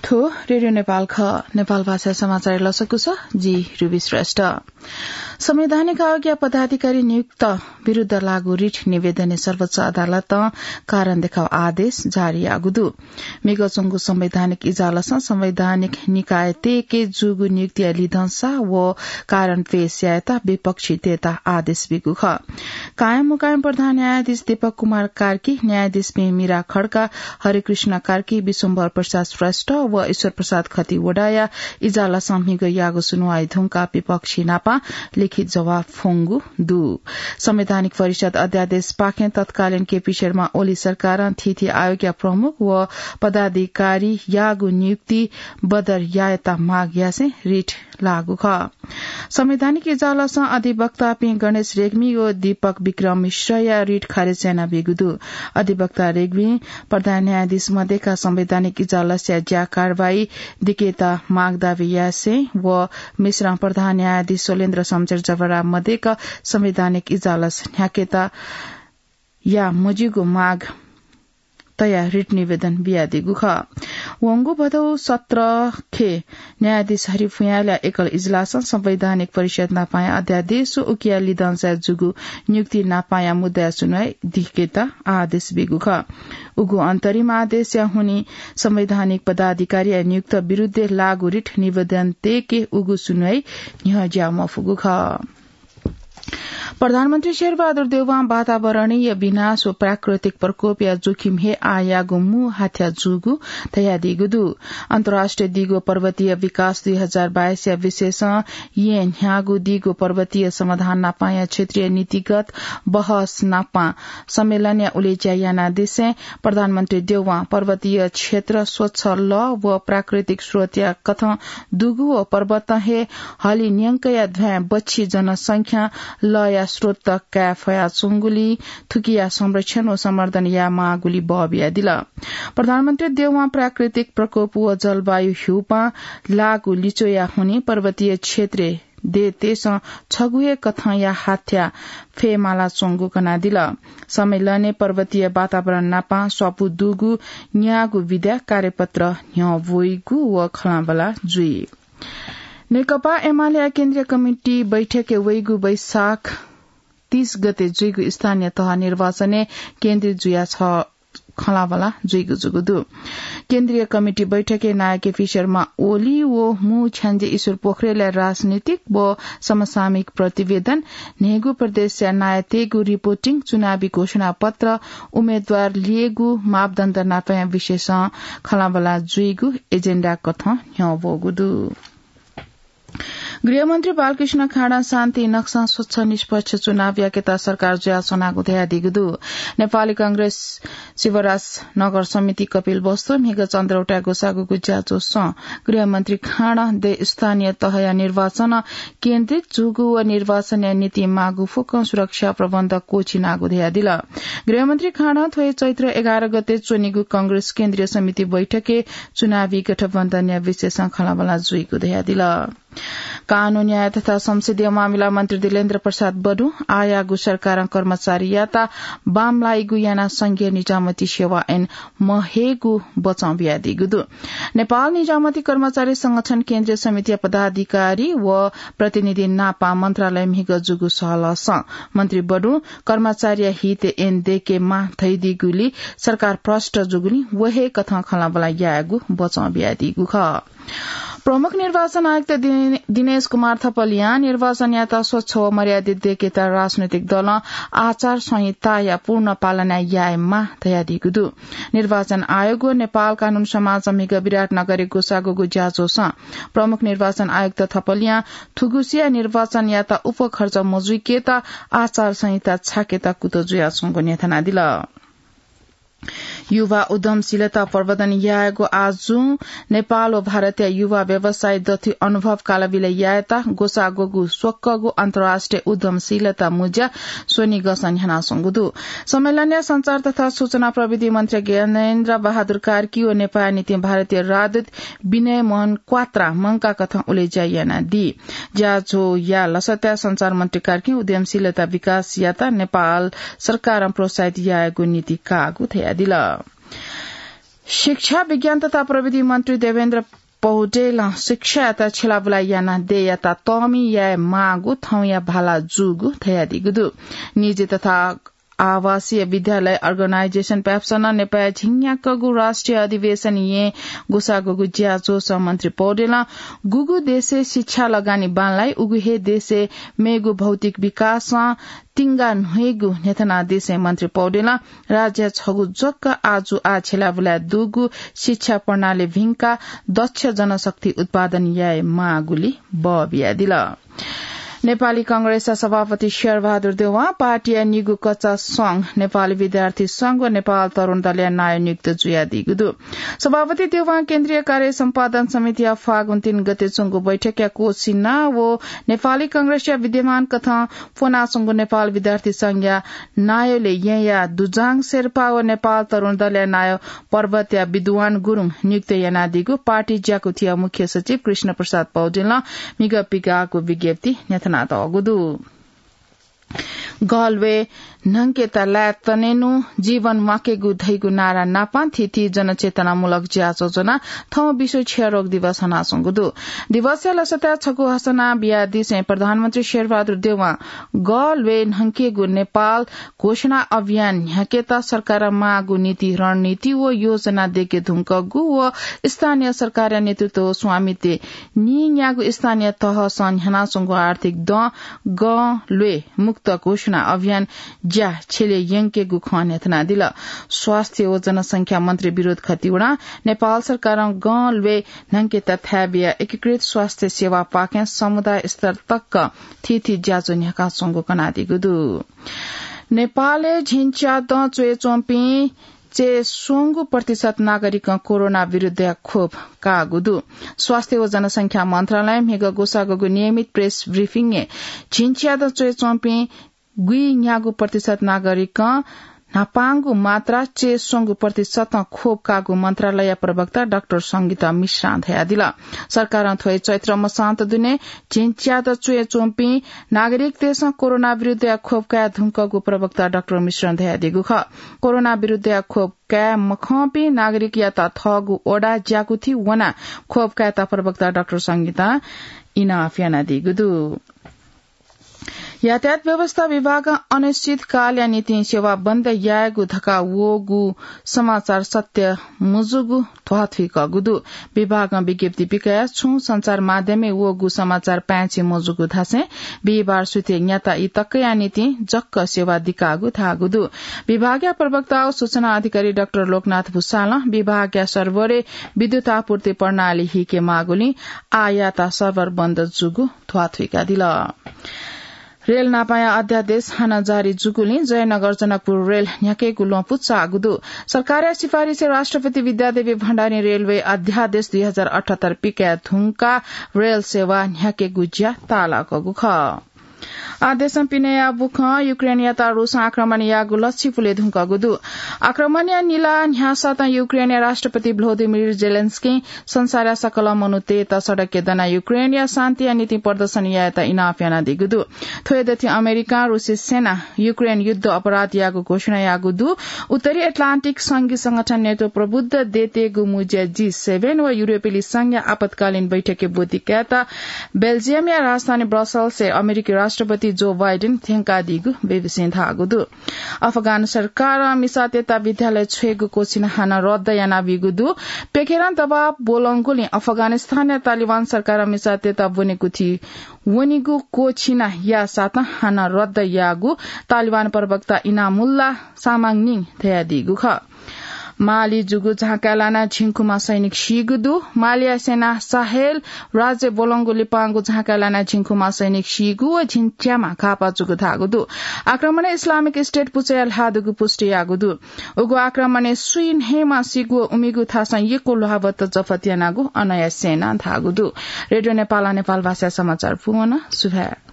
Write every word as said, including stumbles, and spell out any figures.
थ्व रेडियो नेपाल खः। नेपाल भाषा समाचार लसकुस, जि रुबी श्रेष्ठ। संवैधानिक आयोगया पदाधिकारी नियुक्त विरुद्ध लागू रिट निवेदनय् सर्वोच्च अदालतं कारण देखाउ आदेश जारी याःगु दु। म्हिगः च्वंगु संवैधानिक इजालसं संवैधानिक निकाय तय्के जूगु नियुक्तिया लिधंसा व कारण पेश यायेत विपक्षीतय्त आदेश बीगु खः। कायम मुकायम प्रधान न्यायाधीश दीपक कुमार कार्की, न्यायाधीशपिं मीरा खड्का, हरिकृष्ण कार्की, विश्वम्भर प्रसाद श्रेष्ठ व ईश्वर प्रसाद खतिवडाया इजालसं म्हिगः याःगु सुनुवाइ धुंकाः विपक्षी नापं लिखित जवाफ फ्वंगु दु। संवैधानिक परिषद अध्यादेशपाखें तत्कालीन केपी शर्मा ओली सरकारं थीथी आयोगया प्रमुख व पदाधिकारी याःगु नियुक्ति बदर यायेत माग यासें रिट लागू खः। संवैधानिक इजालसं अधिवक्तापिं गणेश रेग्मी व दीपक विक्रम मिश्रया रिट खारेज यानाबीगु दु। अधिवक्ता रेग्मी प्रधान न्यायाधीश मध्येका संवैधानिक इजालसया ज्या कारवाही दिकेत माग दाबी यासें व मिश्रं प्रधान न्यायाधीश शैलेन्द्र शमशेर जबरा मध्येका संवैधानिक इजालस न्ह्याकेत या मज्यूगु माग तयाः रिट निवेदन बियादीगु खः। वंगु भदौ सत्रखे न्यायाधीश हरि भुयाँलया एकल इजलासं संवैधानिक परिषद नापाया अध्यादेश व उकिया लिधंसाय् जूगु नियुक्ति नापाया मुद्दाया सुनुवाइ दिकेत आदेश बीगु खः। उगु अन्तरिम आदेशया हुनिं संवैधानिक पदाधिकारीया नियुक्त विरुद्धय् लागू रिट निवेदन तय्के उगु सुनुवाइ न्ह्यज्याः मफुगु खः। प्रधानमन्त्री शेरबहादुर देउवां वातावरणीय विनाश व प्राकृतिक प्रकोपया जोखिम हे आःयागु मू हाथ्या जूगु धयादीगु दु। अन्तर्राष्ट्रिय दिगो पर्वतीय विकास दुई हजार बाइसया विषयसं येँ न्ह्याःगु दिगो पर्वतीय समाधान नापाया क्षेत्रीय नीतिगत बहस नापं सम्मेलनया उलेज्या यानादिसें प्रधानमन्त्री देउवां पर्वतीय क्षेत्र स्वच्छ लः व प्राकृतिक स्रोतया कथं दुगु व पर्वतं हे हलिं न्यंकया ध्वाँय् बच्छि जनसंख्यां लःया स्रोत काये फयाच्वंगुलिं थुकिया संरक्षण व संवर्धन यायेमाःगुलि बः बियादिल। प्रधानमन्त्री देउवां प्राकृतिक प्रकोप व जलवायु ह्यूपां लाःगु लिच्वया हुनिं पर्वतीय क्षेत्रय् देय्‌तय्‌सं छगू हे कथंया हाथ्या फयेमालाच्वंगु कनादिल। सम्मेलनय् पर्वतीय वातावरण नापं स्वापू दुगु न्यागू विधाय् कार्यपत्र न्ह्यः ब्वइगु व खँल्हाबल्हा जुइ। नेकपा एमालेया केन्द्रीय कमिटी बैठकय् वइगु वैशाख तीस गते जुइगु स्थानीय तह निर्वाचनय् केन्द्रित जुया छ खँल्हाबल्हा जुइगु जूगु दु। केन्द्रीय कमिटी बैठकय् नायः केपी शर्मा ओली व मू छ्याञ्जे ईश्वर पोखरेलया राजनीतिक व समसामयिक प्रतिवेदन, न्हय्‌गू प्रदेशया नायःतय्‌गु रिपोर्टिङ, चुनावी घोषणापत्र, उम्मेदवार ल्ययेगु मापदण्ड नापया विषयसं खँल्हाबल्हा जुइगु एजेण्डा कथं न्ह्यः ब्वःगु दु। गृहमन्त्री बालकृष्ण खाँडं शान्ति नक्सां स्वच्छ निष्पक्ष चुनाव याकेत सरकार जुयाच्वनागु धयादीगु दु। नेपाली कांग्रेस शिवराज नगर समिति कपिलवस्तु म्हिगः चन्द्रौटाय् ग्वसाःगुगु ज्याझ्वलय् गृहमन्त्री खाँडं देय् स्थानीय तहया निर्वाचनं केन्द्रित जूगु व निर्वाचनया निंतिं माःगु फुक्कं सुरक्षा प्रबन्ध क्वःछिनागु धयादिल। गृहमन्त्री खाँडं थ्व हे चैत्र एघार गते च्वनीगु कांग्रेस केन्द्रीय समिति बैठकय् चुनावी गठबन्धनया विषयसं खँल्हाबल्हा जुइगु धयादिल। कानून, न्याय तथा संसदीय मामिला मन्त्री दिलेन्द्र प्रसाद बडुं आःयागु सरकारं कर्मचारीयात बांमलाइगु यानाः संघीय निजामती सेवा ऐन महयेगु बचं बियादीगु दु। नेपाल निजामती कर्मचारी संगठन केन्द्रीय समितिया पदाधिकारी व प्रतिनिधि नापं मन्त्रालय म्हिगः जूगु सहलहसं मन्त्री बडुं कर्मचारीया हितय् ऐन दयेकेमाः धयादीगुलिं सरकार भ्रष्ट जूगुलिं व हे कथं खँल्हाबल्हा यायेगु बचं बियादीगु खः। प्रमुख निर्वाचन आयुक्त दिन-, दिनेश कुमार थपलियां निर्वाचनयात स्वच्छ व मर्यादित दयेकेत राजनैतिक दलं आचार संहिताया पूर्ण पालना यायेमाः धयादीगु दु। निर्वाचन आयोग व नेपाल कानून समाजं म्हिगः विराटनगरय् ग्वसाःगु ज्याझ्वलय् प्रमुख निर्वाचन आयुक्त थपलियां थुगुसिया निर्वाचनयात उपखर्च मजुइकेत आचार संहिता छाकेत कुतः जुयाच्वंगु न्ह्यथनादिल। युवा उद्यमशीलता प्रवर्धन यायेगु आजुं नेपाल व भारतया युवा व्यवसायी दथुइ अनुभव कालाविलय् यायेत ग्वसाःगु स्वक्वःगु अन्तर्राष्ट्रिय उद्यमशीलता मुँज्या स्वनिगःसं न्ह्यानाच्वंगु दु। सम्मेलनय् सञ्चार तथा सूचना प्रविधि मन्त्री ज्ञानेन्द्र बहादुर कार्की व नेपाःया निंतिं भारतीय राजदूत विनय मोहन क्वात्रां मंकाः कथं उलेज्या यानादी। ज्याझ्वःया लसताय् सञ्चार मन्त्री कार्कीं उद्यमशीलता विकासयात नेपाल सरकारं प्रोत्साहित यायेगु नीति काःगु धयादिल। शिक्षा, विज्ञान तथा प्रविधि मन्त्री देवेन्द्र पौडेलं शिक्षायात छ्यलाबुला यानाः देय्‌यात तःमि याये माःगु थौंया भाला जूगु धयादीगु दु। निजी तथा आवासीय विद्यालय अर्गनाइजेसन प्याप्सनं नेपाःया झिंन्याक्वःगु राष्ट्रिय अधिवेशन येँ ग्वसाःगु ज्याझ्वलय् मन्त्री पौडेलं गुगु देशय् शिक्षा लगानी बांलाइ, उगु हे देशय् मेगु भौतिक विकासं तिंगा न्ह्यइगु न्ह्यथनादिसें मन्त्री पौडेलं राज्यया छगू जग्गा आजु आः छ्यलाबुला दुगु शिक्षा प्रणाली भिंकाः दक्ष जनशक्ति उत्पादन याये माःगुली बः बियादिल। नेपाली कांग्रेसया सभापति शेरबहादुर देउवां पार्टीया निगू कचा संघ नेपाल विद्यार्थी संघ व नेपाल तरुण दलया नायः नियुक्त जुयादीगु दु। सभापति देउवां केन्द्रीय कार्य सम्पादन समितिया फागुन तीन गते च्वंगु बैठकया कोसिना व नेपाली कांग्रेसया विद्यमान कथं फ्वनाच्वंगु नेपाल विद्यार्थी संघया नायःलय् येँया दुजाङ शेर्पा व नेपाल तरुण दलया नायः पर्वतया विद्वान गुरुङ नियुक्त यानादीगु पार्टी ज्याकुथिया मुख्य सचिव कृष्ण प्रसाद पौडेलं म्हिगः पिकाःगु विज्ञप्ति न्ह्यथनातःगु दु। गः ल्वय् न्हंकेत लाय् तनेनु जीवन म्वाकेगु धइगु नारा नापं थीथी जनचेतनामूलक ज्याझ्वः ज्वनाः थौं विश्व क्षयरोग दिवस हनाच्वंगु दु। दिवसया लसताय् छकू हसना बियादिसें प्रधानमन्त्री शेरबहादुर देउवां गः ल्वय् न्हंकेगु नेपाल घोषणा अभियान न्ह्याकेत सरकारं माःगु नीति, रणनीति व योजना दयेके धुंकूगु व स्थानीय सरकारया नेतृत्व व स्वामित्वय् नीन्यागू स्थानीय तहसं न्ह्यानाच्वंगु आर्थिक दँ गं ल्वय् मुक्त घोषणा अभियान ज्या छ्यले यंकेगु खँ न्ह्यथनादिल। स्वास्थ्य व जनसंख्या मन्त्री विनोद खतिवडां नेपाल सरकारं गं ल्वय् न्हंकेत थाय् बियाः एकीकृत स्वास्थ्य सेवापाखें समुदाय स्तर तक थीथी ज्याझ्वः न्ह्याकाच्वंगु कनादीगु दु। नेपालय् झिंच्यादँ च्वय् च्वंपिं च्वय् स्वंगू प्रतिशत नागरिकं कोरोना विरुद्धया खोप काःगु दु। स्वास्थ्य व जनसंख्या मन्त्रालयं म्हिगः ग्वसाःगु नियमित प्रेस ब्रिफिङय् झिंच्यादँ च्वय् च्वंपिं गुइन्यागू प्रतिशत नागरिकं न्हापांगु मात्रा च्वय् स्वंगू प्रतिशतं खोप काःगु मन्त्रालयया प्रवक्ता डाक्टर संगीता मिश्रां धयादिल। सरकारं थ्व हे चैत्र मसांत दुने झिंच्यादँ च्वय् च्वंपिं नागरिकतय्‌सं कोरोना विरुद्धया खोप काये धुंकूगु प्रवक्ता डाक्टर मिश्रं धयादीगु खः। कोरोना विरुद्धया खोप काये मखंपिं नागरिकयात थःगु वडा ज्याकुथि वनाः खोप कायेत प्रवक्ता डाक्टर संगीतां इनाप यानादीगु दु। यातायात व्यवस्था विभागं अनिश्चितकालया निंतिं सेवा बन्द यायेगु धकाः वःगु समाचार सत्य मजूगु ध्वाथुइकूगु दु। विभागं विज्ञप्ति पिकयाः छुं सञ्चार माध्यमय् वःगु समाचार पाय्‌छि मजूगु धासें बिहिबार सुथय् न्याता ई तकया निंतिं जक सेवा दिकाःगु धाःगु दु। विभागया प्रवक्ता व सूचना अधिकारी डाक्टर लोकनाथ भुसालं विभागया सर्भरय् विद्युत आपूर्ति प्रणाली हीके माःगुलिं आः यातायात सर्भर बन्द जूगु ध्वाथुइकादिल। रेल नापाया अध्यादेश हानं जारी जूगुलिं जयनगर जनकपुर रेल न्ह्याकेगु ल्वहंपु चाःगु दु। सरकारया सिफारिसय् राष्ट्रपति विद्यादेवी भण्डारीं रेलवे अध्यादेश दुई हजार अठहत्तर पिकया धुंकाः रेल सेवा न्ह्याकेगु ज्या ताःलाकूगु खः। आः देशं पिनेया बुखँ युक्रेनयात रुसं आक्रमण याःगु लच्छि पुले धुंकूगु दु। आक्रमणया निला न्ह्यासातं युक्रेनया राष्ट्रपति भ्लोदिमिर जेलेन्स्कीं संसारया सकल मनूतय्‌त सडकय् दनाः युक्रेनया शान्तिया निंतिं प्रदर्शन यायेत इनाप यानादीगु दु। थ्व हे दथुइ अमेरिकां रुसी सेना युक्रेन युद्ध अपराध याःगु घोषणा याःगु दु। उत्तरी एटलान्टिक संघी संगठन नेटो प्रबुद्ध देय्‌तय्‌गु मुँज्या जी सेभेन व युरोपेली संघया आपतकालीन बैठकय् ब्वति कायेत बेल्जियमया राजधानी ब्रसल्सय् अमेरिकी राष्ट्रपति जो बाइडेन थ्यंकादीगु बीबीसीं धाःगु दु। अफगान सरकारं मिसातय्‌त विद्यालय छ्वयेगु क्वःछिना हानं रद्द यानाबीगु दु। प्यखेरं दबाव ब्वलंगुलिं अफगानिस्तानया तालिबान सरकारं मिसातय्‌त ब्वनेकुथि वनेगु क्वःछिना याःसातं हानं रद्द याःगु तालिबान प्रवक्ता इनामुल्ला सामाङनिं धयादीगु खः। माली जूगु झाँकाय् लानाः झिंखुमा सैनिक सीगु दु। मालीया सेनां साहेल राज्य ब्वलंगु लिपांगु झाँकाय् लानाः झिंखुमा सैनिक सीगु व झिंच्यामा घाःपाः जूगु धाःगु दु। आक्रमणय् इस्लामिक स्टेट पुचःया ल्हाः दुगु पुष्टि याःगु दु। उगु आक्रमणय् सुइन्हय्‌मा सीगु व उमिगु थासं यक्व ल्वाभत्त जफत यानागु अनया सेनां धाःगु दु। रेडियो नेपालं नेपाल भाषाया समाचार पूवन। सुभाय्।